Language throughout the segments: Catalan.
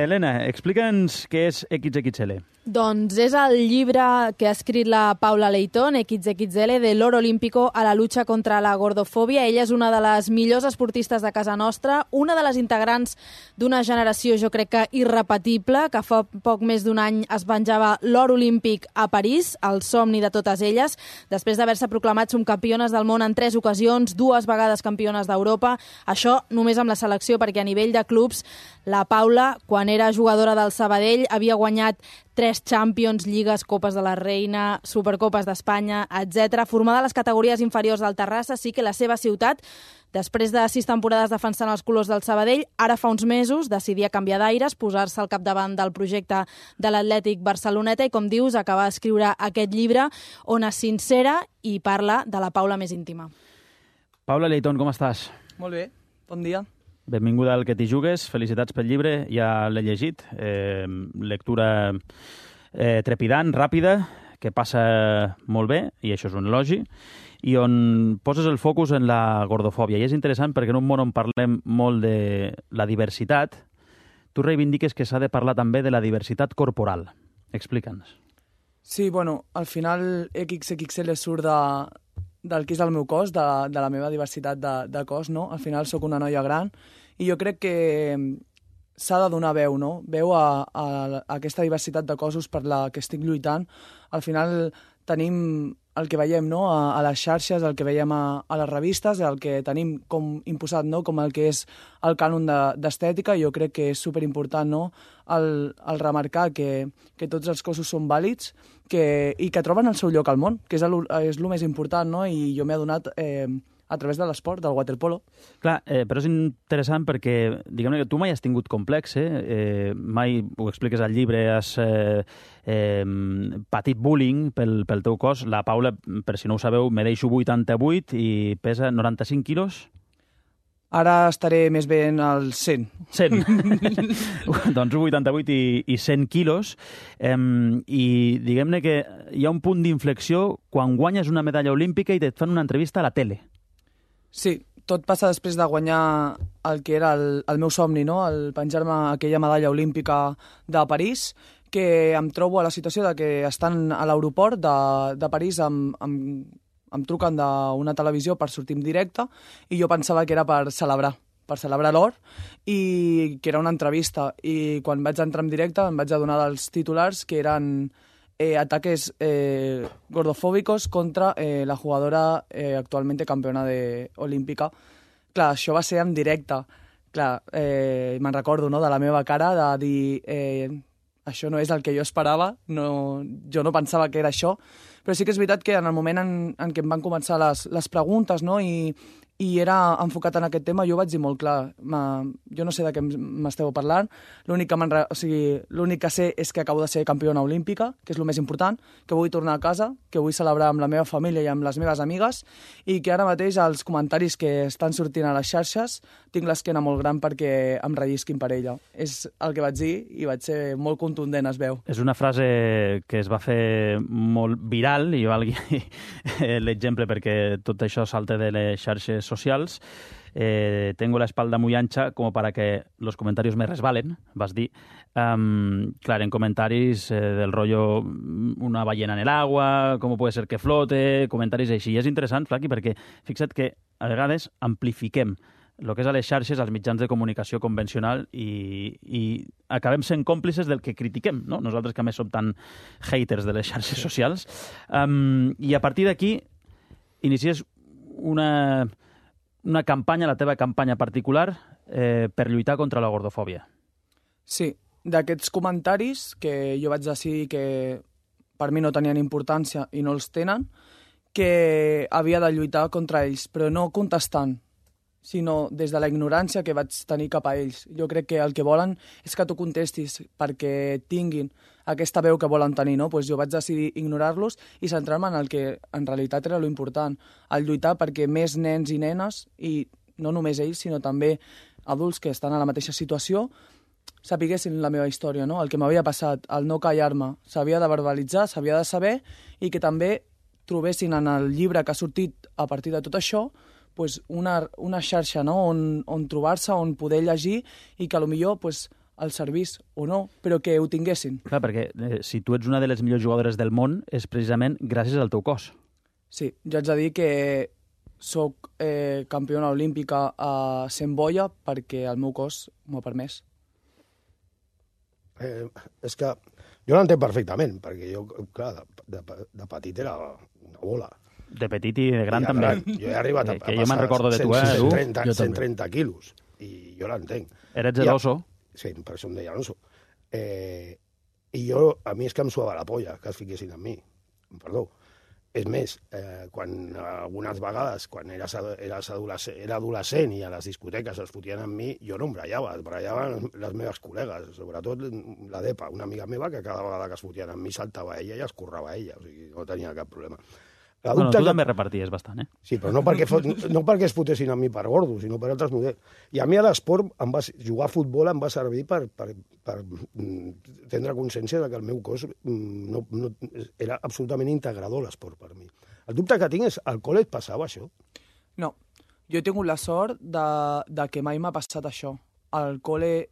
Helena, explica'ns què és XXL. Doncs és el llibre que ha escrit la Paula Leitón, XXL, de l'Oro Olímpico a la lucha contra la gordofòbia. Ella és una de les millors esportistes de casa nostra, una de les integrants d'una generació, jo crec que irrepetible, que fa poc més d'un any es venjava l'or olímpic a París, el somni de totes elles, després d'haver-se proclamat subcampiones del món en 3 ocasions, 2 vegades campiones d'Europa. Això només amb la selecció, perquè a nivell de clubs la Paula, quan era jugadora del Sabadell, havia guanyat 3 Champions, Lligues, Copes de la Reina, Supercopes d'Espanya, etc. Formada a les categories inferiors del Terrassa, sí que la seva ciutat, després de 6 temporades defensant els colors del Sabadell, ara fa uns mesos decidia canviar d'aires, posar-se al capdavant del projecte de l'Atlètic Barceloneta i, com dius, acabar d'escriure aquest llibre on es sincera i parla de la Paula més íntima. Paula Leitón, com estàs? Molt bé, bon dia. Benvinguda al Que t'hi jugues, felicitats pel llibre, ja l'he llegit, lectura trepidant, ràpida, que passa molt bé, i això és un elogi, i on poses el focus en la gordofòbia. I és interessant perquè en un món on parlem molt de la diversitat, tu reivindiques que s'ha de parlar també de la diversitat corporal. Explica'ns. Sí, bueno, al final XXL surt del que és el meu cos, de la meva diversitat de cos, no? Al final sóc una noia gran i jo crec que s'ha de donar veu, no? Veu a aquesta diversitat de cossos per la que estic lluitant. Al final tenim el que veiem, no? A les xarxes, el que veiem a les revistes, el que tenim com imposat, no? Com el que és el cànon d'estètica. Jo crec que és superimportant, no? El remarcar que tots els cossos són vàlids i que troben el seu lloc al món, que és el més important, no? I jo m'he adonat a través de l'esport, del waterpolo. Clar, però és interessant perquè, diguem-ne que tu mai has tingut complex, mai ho expliques al llibre, has patit bullying pel teu cos. La Paula, per si no ho sabeu, medeixo 88 i pesa 95 quilos. Ara estaré més bé en el 100. 100. Doncs 88 i 100 quilos. I diguem-ne que hi ha un punt d'inflexió quan guanyes una medalla olímpica i et fan una entrevista a la tele. Sí, tot passa després de guanyar el que era el meu somni, no? El penjar-me aquella medalla olímpica de París, que em trobo a la situació de que estan a l'aeroport de París em truquen d'una televisió per sortir en directe i jo pensava que era per celebrar l'or i que era una entrevista. I quan vaig entrar en directe em vaig adonar dels titulars que eren ataques gordofòbicos contra la jugadora actualmente campeona olímpica. Clar, això va ser en directe. Clar, me'n recordo, no?, de la meva cara de dir això no és el que jo esperava, jo no pensava que era això, però sí que és veritat que en el moment en què em van començar les preguntes, no?, i era enfocat en aquest tema, jo vaig dir molt clar, jo no sé de què m'esteu parlant, l'únic que sé és que acabo de ser campiona olímpica, que és el més important, que vull tornar a casa, que vull celebrar amb la meva família i amb les meves amigues, i que ara mateix els comentaris que estan sortint a les xarxes tinc l'esquena molt gran perquè em rellisquin per ella. És el que vaig dir i vaig ser molt contundent, es veu. És una frase que es va fer molt viral, i jo valgui l'exemple perquè tot això salta de les xarxes socials. Tengo la espalda muy ancha como para que los comentarios me resbalen, vas dir. Claro, en comentaris del rollo una ballena en el agua, cómo puede ser que flote, comentaris així. I és interessant, Flaqui, perquè fixa't que a vegades amplifiquem el que és a les xarxes, als mitjans de comunicació convencional i acabem sent còmplices del que critiquem, no? Nosaltres que a més som tan haters de les xarxes socials. I a partir d'aquí inicies una campanya, la teva campanya particular, per lluitar contra la gordofòbia. Sí, d'aquests comentaris que jo vaig decidir que per mi no tenien importància i no els tenen, que havia de lluitar contra ells, però no contestant, sinó des de la ignorància que vaig tenir cap a ells. Jo crec que el que volen és que tu contestis perquè tinguin aquesta veu que volen tenir, no? Pues jo vaig decidir ignorar-los i centrar-me en el que en realitat era l'important, el lluitar perquè més nens i nenes, i no només ells, sinó també adults que estan a la mateixa situació, sapiguessin la meva història, no? El que m'havia passat, el no callar-me, s'havia de verbalitzar, s'havia de saber, i que també trobessin en el llibre que ha sortit a partir de tot això pues una xarxa, no?, on trobar-se, on poder llegir i que potser el servís o no, però que ho tinguessin. Clar, perquè si tu ets una de les millors jugadores del món és precisament gràcies al teu cos. Sí, jo haig de dir que soc campiona olímpica a 100 boia perquè el meu cos m'ho ha permès. És que jo l'entenc perfectament, perquè jo, clar, de petit era una bola. De petit i de gran I també. Jo he arribat a que jo me'n recordo de tu, 130 quilos, i jo l'entenc. Eres el oso. Sí, per això em deia l'oso. I jo, a mi és que em suava la polla que es fiquessin amb mi. Perdó. És més, quan algunes vegades, quan era adolescent i a les discoteques es fotien amb mi, jo no em brallava, es brallaven les meves col·legues, sobretot la Depa, una amiga meva que cada vegada que es fotien amb mi saltava ella i escorrava ella, o sigui, no tenia cap problema. Bueno, tu també reparties bastant, eh? Sí, però no perquè es fotessin amb mi per gordo, sinó per altres models. I a mi a l'esport, jugar a futbol em va servir per tindre consciència de que el meu cos era absolutament integrador, l'esport, per mi. El dubte que tinc és, al col·le et passava això? No, jo he tingut la sort de que mai m'ha passat això. Al col·le...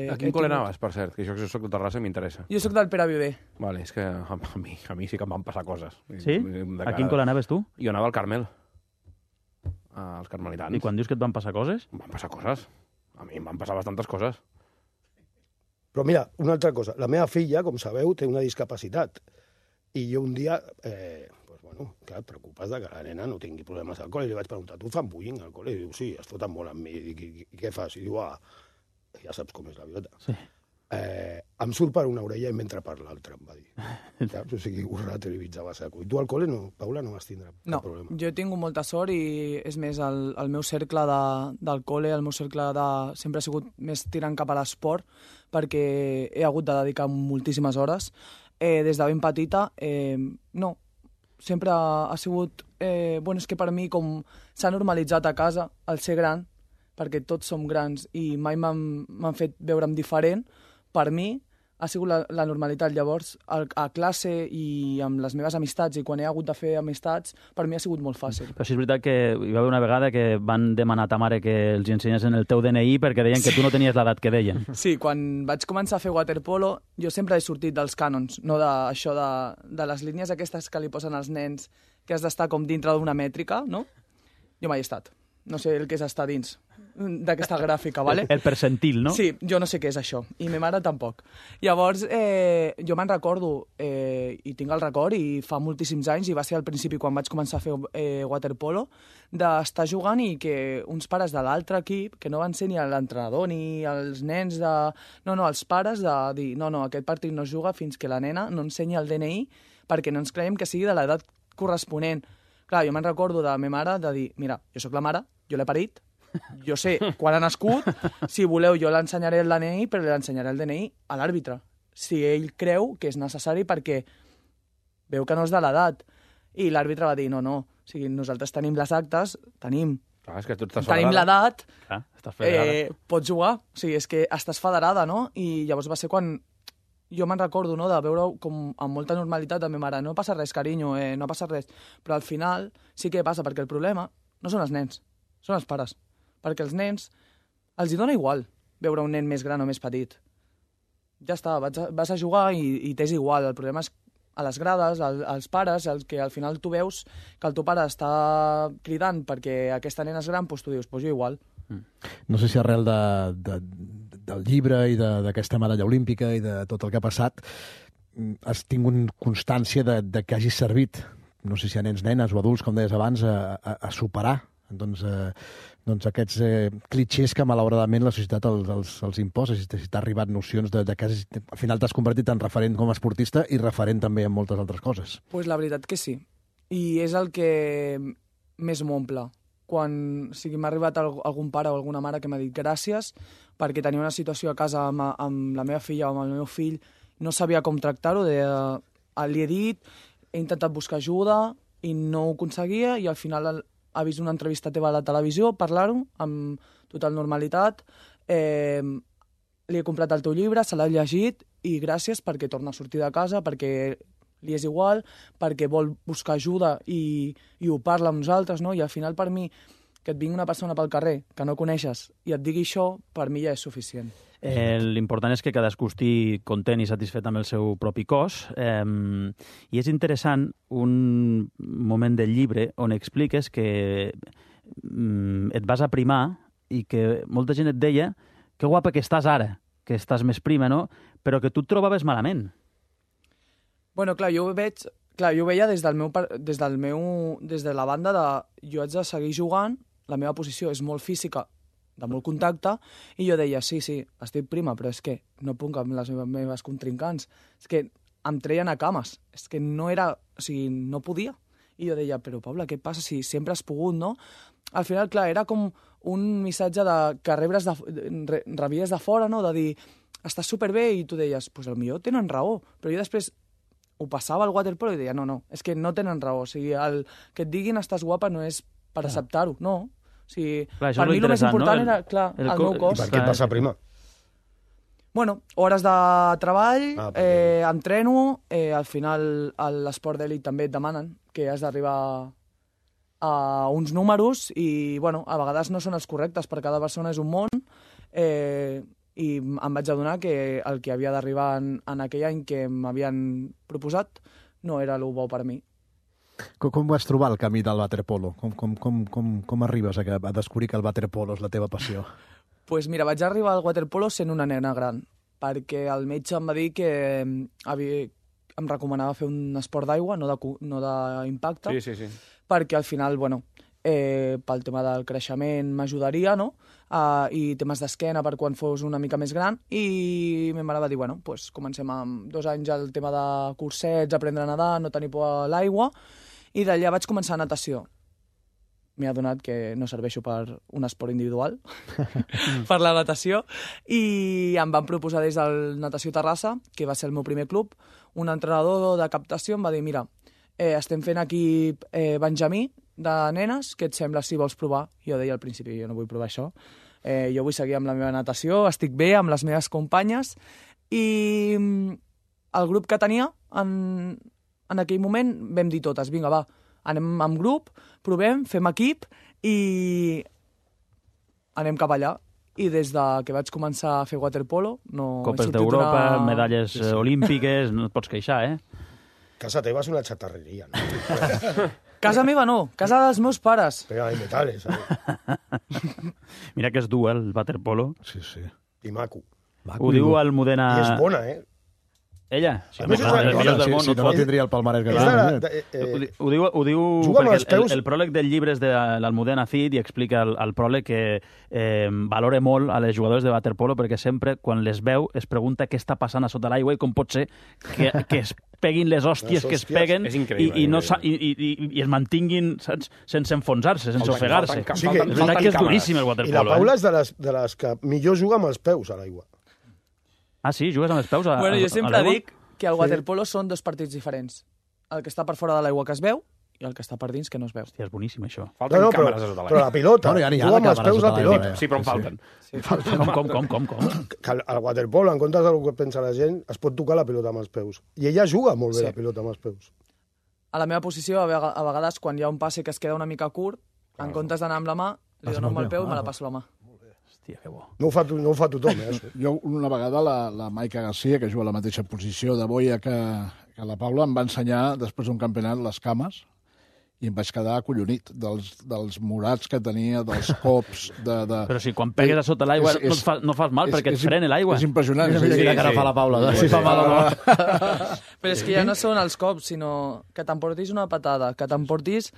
A quin col·le anaves, per cert? Que jo soc de Terrassa i m'interessa. Jo soc del Pere Viver. Vale, és que a mi sí que em van passar coses. Sí? A quin col·le anaves tu? Jo anava al Carmel, als carmelitans. I quan dius que et van passar coses? Em van passar coses. A mi em van passar bastantes coses. Però mira, una altra cosa. La meva filla, com sabeu, té una discapacitat. I jo un dia, clar, et preocupes de que la nena no tingui problemes al col·le. I li vaig preguntar, tu fan bullying al col·le? I diu, sí, es foten molt amb mi. I què fas? I diu, ja saps com és la vida. Sí. Em surt per una orella i m'entra per l'altra, em va dir. Saps? O sigui, ho relativitzava a saco. I tu al col·le, no, Paula, no vas tindre cap problema? No, jo he tingut molta sort i, és més, el meu cercle del col·le, el meu cercle sempre ha sigut més tirant cap a l'esport, perquè he hagut de dedicar moltíssimes hores. Des de ben petita, no, sempre ha sigut... és que per mi, com s'ha normalitzat a casa el ser gran, perquè tots som grans i mai m'han fet veure'm diferent, per mi ha sigut la normalitat. Llavors, a classe i amb les meves amistats, i quan he hagut de fer amistats, per mi ha sigut molt fàcil. Però sí és veritat que hi va haver una vegada que van demanar a ta mare que els ensenyessin el teu DNI perquè deien que tu no tenies l'edat que deien. Sí, quan vaig començar a fer waterpolo, jo sempre he sortit dels cànons, no d'això de les línies aquestes que li posen als nens, que has d'estar com dintre d'una mètrica, no? Jo mai he estat. No sé el que és estar dins d'aquesta gràfica, ¿vale? El percentil, no? Sí, jo no sé què és això, i ma mare tampoc. Llavors, jo me'n recordo, i tinc el record, i fa moltíssims anys, i va ser al principi quan vaig començar a fer waterpolo, d'estar jugant i que uns pares de l'altre equip, que no van ser ni l'entrenador ni els nens de... No, els pares de dir, no, aquest partit no es juga fins que la nena no ensenyi el DNI perquè no ens creiem que sigui de l'edat corresponent. Clar, jo me'n recordo de la meva mare de dir, mira, jo sóc la mare, jo l'he parit, jo sé quan ha nascut, si voleu jo l'ensenyaré el DNI, però l'ensenyaré el DNI a l'àrbitre, si ell creu que és necessari perquè veu que no és de l'edat. I l'àrbitre va dir, no, o sigui, nosaltres tenim les actes, tenim l'edat, pots jugar, o sigui, és que estàs federada, no? I llavors va ser quan jo me'n recordo, no?, de veure com amb molta normalitat a la meva mare, no passa res, carinyo, no passa res, però al final sí que passa, perquè el problema no són els nens, són els pares, perquè els nens els hi dona igual veure un nen més gran o més petit. Ja està, vas a jugar i t'és igual, el problema és a les grades, als pares, el que al final tu veus que el teu pare està cridant perquè aquesta nena és gran, doncs tu dius, doncs jo igual. No sé si arrel del llibre i d'aquesta medalla olímpica i de tot el que ha passat has tingut constància de que hagis servit, no sé si a nens, nenes o adults, com deies abans, a superar doncs aquests clitxers que malauradament la societat els imposa. Si t'ha arribat nocions de que al final t'has convertit en referent com a esportista i referent també en moltes altres coses. Pues la veritat que sí. I és el que més m'omple. Quan m'ha arribat algun pare o alguna mare que m'ha dit gràcies perquè tenia una situació a casa amb la meva filla o amb el meu fill, no sabia com tractar-ho, li he dit, he intentat buscar ajuda i no ho aconseguia i al final ha vist una entrevista teva a la televisió, parlar-ho amb total normalitat, li he comprat el teu llibre, se l'ha llegit i gràcies perquè torna a sortir de casa, perquè li és igual, perquè vol buscar ajuda i ho parla amb nosaltres, no? I al final per mi que et vingui una persona pel carrer que no coneixes i et digui això, per mi ja és suficient. L'important és que cadascú estigui content i satisfet amb el seu propi cos. I és interessant un moment del llibre on expliques que et vas aprimar i que molta gent et deia que guapa que estàs ara, que estàs més prima, no? Però que tu et trobaves malament. Bueno, clar, jo ho veia des de la banda de jo haig de seguir jugant, la meva posició és molt física, de molt contacte, i jo deia, sí, estic prima, però és que no puc amb les meves contrincants, és que em treien a cames, és que no era, o sigui, no podia. I jo deia, però Paula, què passa si sempre has pogut, no? Al final, clar, era com un missatge que rebies de fora, no? De dir, estàs superbé, i tu deies, doncs potser tenen raó, però jo després ho passava al waterpolo i deia, no, és que no tenen raó, o sigui, el que et diguin estàs guapa no és per acceptar-ho, no. O sigui, clar, per mi el més important era, clar, el meu cos. I per què et vas aprimar? Bueno, hores de treball, entreno, al final a l'esport d'elit també et demanen que has d'arribar a uns números i, bueno, a vegades no són els correctes, per cada persona és un món, i em vaig adonar que el que havia d'arribar en aquell any que m'havien proposat no era el bo per a mi. Com vas trobar el camí del waterpolo? Com arribes a descobrir que el waterpolo és la teva passió? Pues mira, vaig arribar al waterpolo sent una nena gran, perquè el metge em va dir que em recomanava fer un esport d'aigua, no d'impacte, Sí. perquè al final, bueno, pel tema del creixement m'ajudaria, no? I temes d'esquena per quan fos una mica més gran, i ma mare va dir, bueno, pues comencem amb 2 anys el tema de cursets, aprendre a nedar, no tenir por a l'aigua, i d'allà vaig començar natació. M'he adonat que no serveixo per un esport individual, per la natació, i em van proposar des del Natació Terrassa, que va ser el meu primer club, un entrenador de captació em va dir, mira, estem fent equip Benjamí, de nenes, què et sembla si vols provar? Jo deia al principi, jo no vull provar això, jo vull seguir amb la meva natació, estic bé amb les meves companyes, i el grup que tenia en aquell moment vam dir totes, vinga, va, anem amb grup, provem, fem equip i anem cap allà. I des que vaig començar a fer waterpolo... Copes d'Europa, medalles olímpiques, no et pots queixar, Casa teva és una xatarreria, no? Casa meva no, casa dels meus pares. Pega de metales, ¿sabes? Mira que és dur, el waterpolo. Sí. I maco. Ho diu Almudena... I és bona, Ella? Sí, a més, és una millors del món, si no tindria el palmarès que ho diu perquè el pròleg del llibre és de l'Almudena Cid i explica al pròleg que valora molt a les jugadores de waterpolo perquè sempre, quan les veu, es pregunta què està passant a sota l'aigua i com pot ser que es peguin les hòsties que es peguen i es mantinguin, saps, sense enfonsar-se, sense ofegar-se. És veritat que és duríssim el waterpolo. I la Paula és de les que millor juga amb els peus a l'aigua. Ah, sí? Jugues amb els peus a Bueno, jo sempre dic que el waterpolo són 2 partits diferents. El que està per fora de l'aigua que es veu i el que està per dins que no es veu. Hòstia, és boníssim, això. Falten càmeres a sota l'aigua. Però la pilota, juga amb els peus la pilota. Sí, però en falten. Com? Que el waterpolo, en comptes del que pensa la gent, es pot tocar la pilota amb els peus. I ella juga molt bé la pilota amb els peus. A la meva posició, a vegades, quan hi ha un passe que es queda una mica curt, en comptes d'anar amb la mà, li dono amb el peu i me la passo la mà. Hòstia, que bo. No ho fa tothom, això. Jo una vegada la Maica Garcia, que juga a la mateixa posició de boia que la Paula, em va ensenyar, després d'un campionat, les cames, i em vaig quedar acollonit dels morats que tenia, dels cops... Però si quan pegues a sota l'aigua no fas mal perquè et frena l'aigua. És impressionant. Mira que ara fa la Paula, si fa mal o no. Però és que ja no són els cops, sinó que t'emportis una patada, que t'emportis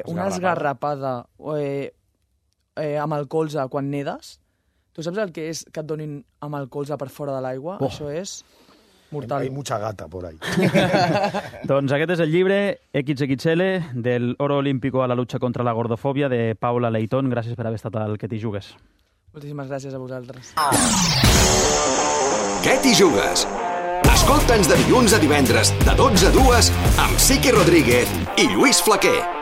una esgarrapada amb el colze quan nedes. Tu saps el que és que et donin amb el colze per fora de l'aigua? Això és mortal. Hay mucha gata por ahí. Doncs aquest és el llibre XXL del oro olímpico a la lucha contra la gordofòbia de Paula Leitón. Gràcies per haver estat al Que t'hi jugues. Moltíssimes gràcies a vosaltres. Què t'hi jugues? Escolta'ns de dilluns a divendres de 12 a 2 amb Sique Rodríguez i Lluís Flaquer.